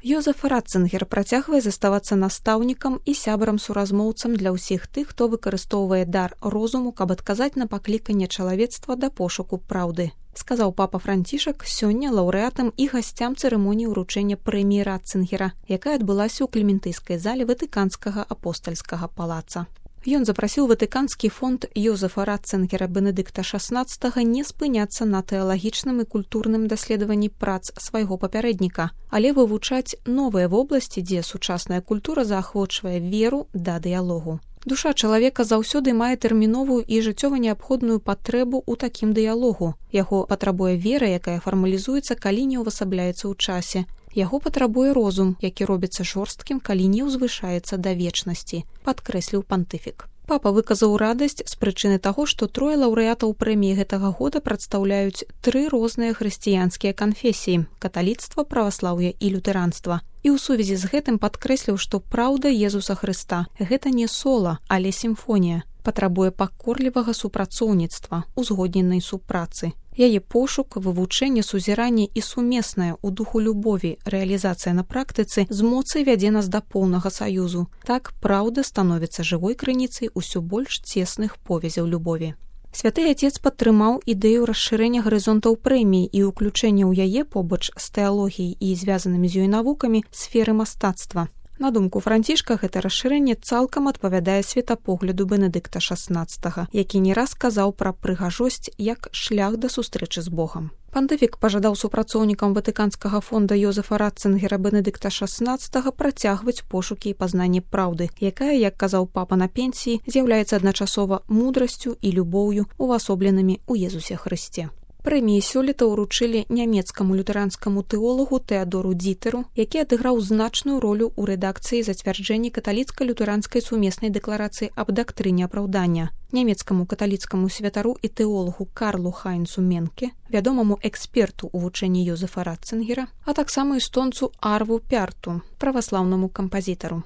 Йозеф Ратцингер працягвае заставацца настаўнікам і сябрам-суразмоўцам для ўсіх тых, хто выкарыстоўвае дар розуму, каб адказаць на пакліканне чалавецтва да пошуку праўды, сказаў папа Францішак сёння лаўрэатам і гасцям цырымоніі ўручэння прэміі Ратцингера, якая адбылася ў Клементыйскай зале Ватыканскага апостальскага палаца. Ён запрасіў Ватыканскі фонд Йозефа Ратцингера Бенедыкта XVI не спыняцца на тэалагічным і культурным даследаванні прац свайго папярэдніка, але вывучаць новыя вобласці, дзе сучасная культура заахвочвае веру да дыялогу. Душа чалавека заўсёды мае тэрміновую і жыццёва неабходную патрэбу ў такім дыялогу. Яго патрабуе вера, якая фармалізуецца, калі не ўвасабляецца ў часе. Яго патрабуе розум, які робіцца жорсткім, калі не ўзвышаецца да вечнасці, падкрэсліў пантыфік. Папа выказаў радасць з прычыны таго, што 3 лаўрэатаў прэміі гэтага года прадстаўляюць 3 розныя хрысціянскія канфесіі – каталіцтва, праваслаўе і лютэранства. І ў сувязі з гэтым падкрэсліў, што праўда Езуса Хрыста – гэта не сола, але сімфонія. Патрабуе пакорлівага супрацоўніцтва, узгодненай супрацы. Яе пошук, вывучэнне, сузіранне і сумеснае ў духу любові рэалізацыя на практыцы з моцай вядзе нас да поўнага саюзу. Так праўда становіцца жывой крыніцай усё больш цесных повязяў любові. Святы Отец падтрымаў ідэю расшырэння гарызонтаў прэміі і ўключэння ў яе побач з тэалогіяй і звязанымі з ёй навукамі сферы мастацтва. На думку Францішка, гэта расшырэнне цалкам адпавядае светапогляду Бенедыкта XVI, які не раз казаў пра прыгажосць як шлях да сустрэчы з Богам. Пантыфік пажадаў супрацоўнікам Ватыканскага фонда Йозефа Ратцингера Бенедыкта XVI працягваць пошукі і пазнанне праўды, якая, як казаў папа на пенсіі, з'яўляецца адначасова мудрасцю і любоўю, увасобленымі ў Езусе Хрысце. Прэміі сёлета ўручылі нямецкаму лютэранскаму тэолагу Тэадору Дзітэру, які адыграў значную ролю ў рэдакцыі зацвярджэння каталіцка-лютэранскай сумеснай дэкларацыі аб дактрыне апраўдання, нямецкаму каталіцкаму святару і тэолагу Карлу Хайнцу Менке, вядомаму эксперту ў вучэнні Йозефа Ратцингера, а таксама эстонцу Арву Пярту, праваслаўнаму кампазітару.